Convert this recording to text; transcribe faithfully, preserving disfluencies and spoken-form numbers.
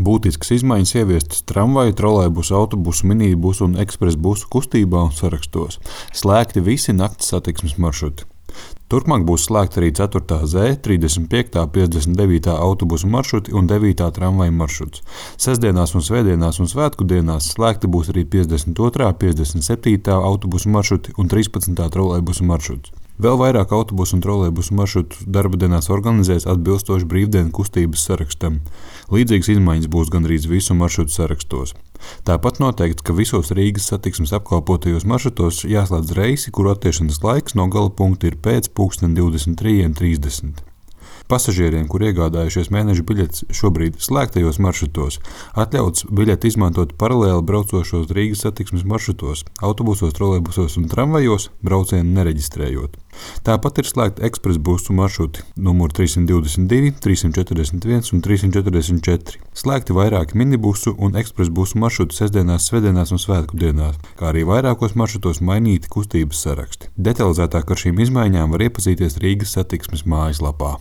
Būtiskas izmaiņas ieviestas tramvaju, trolejbusu, autobusu, minibusu un ekspresbusu kustībā un sarakstos. Slēgti visi nakts satiksmes maršruti. Turpmāk būs slēgta arī ceturtā Z, trīsdesmit piekta, piecdesmit devītā autobusu maršruti un devītā tramvaju maršruts. Sestdienās un svētdienās un svētku dienās slēgti būs arī piecdesmit otrā, piecdesmit septītā autobusu maršruti un trīspadsmitā trolejbusu maršruts. Vēl vairāk autobusu un trolejbusu maršrutu darba dienās organizēs atbilstoši brīvdienu kustības sarakstam. Līdzīgas izmaiņas būs gandrīz visu maršrutu sarakstos. Tāpat noteikts, ka visos Rīgas satiksmes apkalpotajos maršrutos jāslēdz reisi, kuru attiešanās laiks no gala punkta ir pēc pulksten divdesmit trīs trīsdesmit. Pasažieriem, kur iegādājušies mēneša biļetes šobrīd slēgtajos maršrutos, atļauts biļeti izmantot paralēli braucošos Rīgas satiksmes maršrutos, autobusos, trolejbusos un tramvajos, braucienu nereģistrējot. Tāpat ir slēgti ekspresbusu maršruti numur trīssimt divdesmit divi, trīssimt četrdesmit viens un trīssimt četrdesmit četri. Slēgti vairāki minibusu un ekspresbusu maršruti sestdienās, svētdienās un svētku dienās, kā arī vairākos maršrutos mainīti kustības saraksti. Detalizētāk ar šīm izmaiņām var iepazīties Rīgas satiksmes mājaslapā.